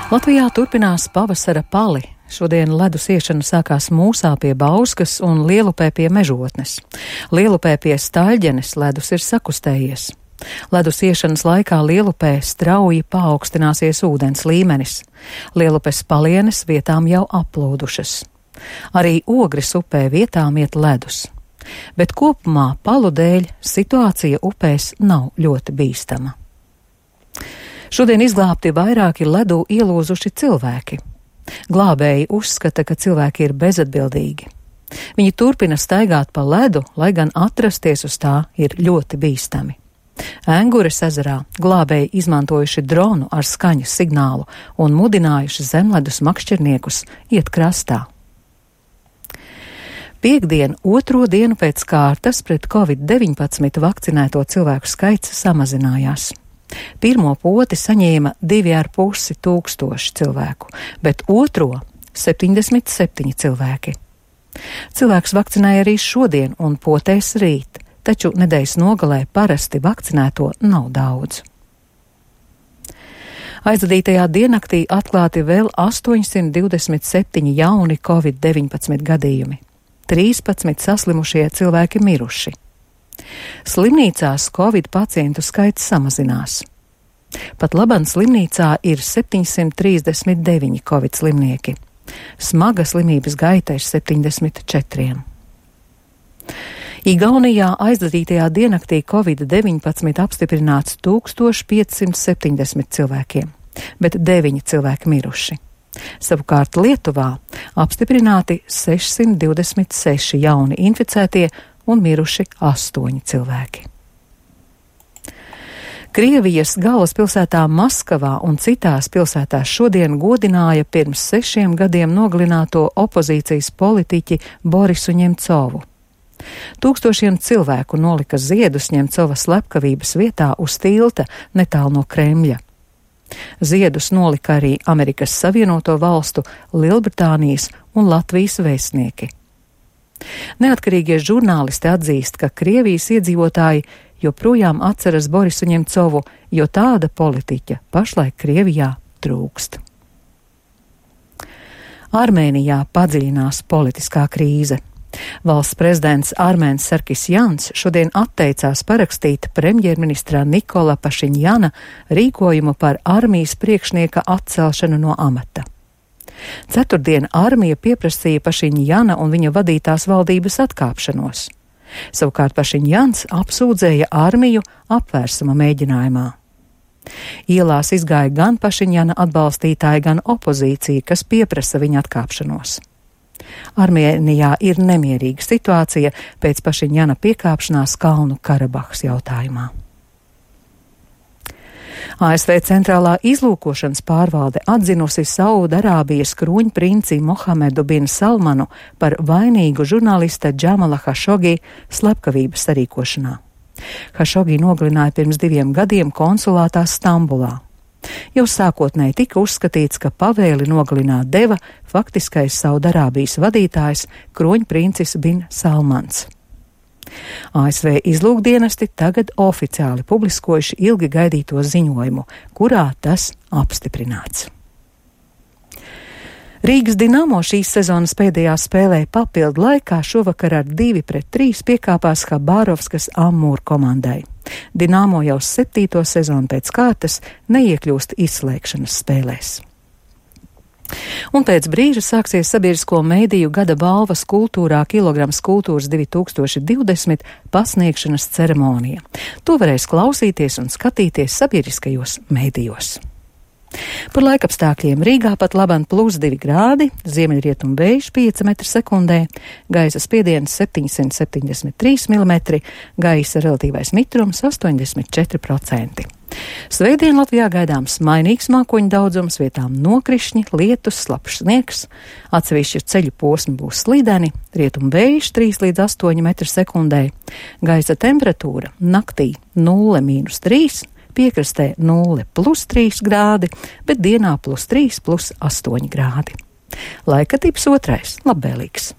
Latvijā turpinās pavasara pali. Šodien ledus iešana sākās Mūsā pie Bauskas un Lielupē pie Mežotnes. Lielupē pie Staļģenes ledus ir sakustējies. Ledus iešanas laikā Lielupē strauji paaugstināsies ūdens līmenis. Lielupes palienes vietām jau aplūdušas. Arī Ogres upē vietām iet ledus. Bet kopumā palu dēļ situācija upēs nav ļoti bīstama. Šodien izglābti vairāki ledū ielūzuši cilvēki. Glābēji uzskata, ka cilvēki ir bezatbildīgi. Viņi turpina staigāt pa ledu, lai gan atrasties uz tā ir ļoti bīstami. Engures ezerā glābēji izmantojuši dronu ar skaņas signālu un mudinājuši zemledus makšķerniekus iet krastā. Piektdien, otro dienu pēc kārtas pret Covid-19 vakcinēto cilvēku skaits samazinājās. Pirmo poti saņēma 2,5 tūkstoši cilvēku, bet otro 77 cilvēki. Cilvēks vakcinēja arī šodien un potēs rīt, taču nedēļas nogalē parasti vakcinēto nav daudz. Aizvadītajā diennaktī atklāti vēl 827 jauni Covid-19 gadījumi. 13 saslimušie cilvēki miruši. Slimnīcās Covid pacientu skaits samazinās. Pat labam slimnīcā ir 739 Covid slimnieki. Smaga slimības gaita ir 74. Igaunijā aizvadītajā diennaktī Covid-19 apstiprināts 1570 cilvēkiem, bet 9 cilvēki miruši. Savukārt Lietuvā apstiprināti 626 jauni inficētie un miruši 8 cilvēki. Krievijas galvaspilsētā Maskavā un citās pilsētās šodien godināja pirms 6 gadiem nogalināto opozīcijas politiķi Borisu Ņemcovu. Tūkstošiem cilvēku nolika ziedus Ņemcova slepkavības vietā uz tilta netālu no Kremļa. Ziedus nolika arī Amerikas Savienoto Valstu, Lielbritānijas un Latvijas vēstnieki. Neatkarīgie žurnālisti atzīst, ka Krievijas iedzīvotāji joprojām atceras Borisu Ņemcovu, jo tāda politiķa pašlaik Krievijā trūkst. Armēnijā padziļinās politiskā krīze. Valsts prezidents Armēns Sarkisjans šodien atteicās parakstīt premjerministra Nikola Pašiņjana rīkojumu par armijas priekšnieka atcelšanu no amata. Ceturtdien armija pieprasīja Pašiņjana un viņa vadītās valdības atkāpšanos. Savukārt Pašiņjans apsūdzēja armiju apvērsuma mēģinājumā. Ielās izgāja gan Pašiņjana atbalstītāji, gan opozīcija, kas pieprasa viņa atkāpšanos. Armēnijā ir nemierīga situācija pēc Pašiņjana piekāpšanās Kalnu Karabahas jautājumā. ASV centrālā izlūkošanas pārvalde atzinusi Saudarābijas kruņprinci Mohamedu bin Salmanu par vainīgu žurnālista Džamala Hašogi slepkavības sarīkošanā. Hašogi nogalināja pirms 2 gadiem konsulātā Stambulā. Jau sākotnēji tika uzskatīts, ka pavēli nogalināt deva faktiskais Saudarābijas vadītājs kruņprincis bin Salmans. ASV izlūkdienesti tagad oficiāli publiskojuši ilgi gaidīto ziņojumu, kurā tas apstiprināts. Rīgas Dinamo šīs sezonas pēdējā spēlē papildu laikā šovakar ar 2-3 piekāpās Habārovskas Amūr komandai. Dinamo jau 7. sezonu pēc kārtas neiekļūst izslēgšanas spēlēs. Un pēc brīža sāksies sabiedrisko mediju gada balvas kultūrā Kilograms kultūras 2020 pasniegšanas ceremonija. To varēs klausīties un skatīties sabiedriskajos medijos. Par laikapstākļiem Rīgā pat labam +2 grādi, ziemeļrietumu vējš 5 m/sekundē, gaisa spiediens 773 mm, gaisa relatīvais mitrums 84%. Svētdien Latvijā gaidāms mainīgs mākoņu daudzums, vietām nokrišņi, lietus, slapjš sniegs, atsevišķi ceļu posmi būs slīdeni, rietumu vējš 3 līdz 8 m/sekundē, gaisa temperatūra naktī 0-3, piekrastē 0+3 grādi, bet dienā +3, +8 grādi. Laika tips 2. labvēlīgs.